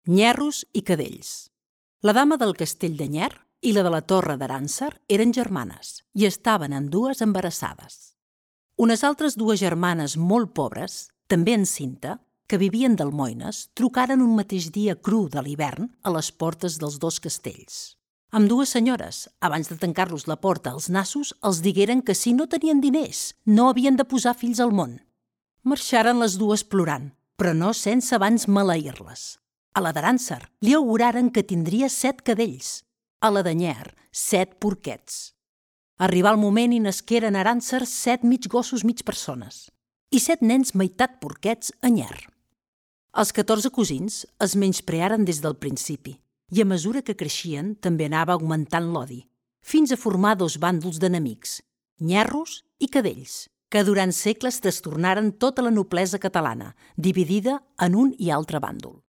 Nyerros i cadells. La dama del castell de Nyer i la de la torre d'Arànser eren germanes i estaven ambdues embarassades. Unes altres dues germanes molt pobres, també encinta, que vivien d'almoines, trucaren un mateix dia cru de l'hivern a les portes dels dos castells. Ambdues senyores, abans de tancar-los la porta als nassos, els digueren que si no tenien diners, no havien de posar fills al món. Marxaren les dues plorant, però no sense abans maleir-les. A la d'Arànser li auguraren que tindria 7 cadells, a la de Nyer 7 porquets. Arribà el moment i nasqueren a Arànser 7 mig gossos mig persones i 7 nens meitat porquets a Nyer. Els 14 cosins es menysprearen des del principi i a mesura que creixien també anava augmentant l'odi, fins a formar 2 bàndols d'enemics, nyerros i cadells, que durant segles trastornaren tota la noblesa catalana, dividida en un i altre bàndol.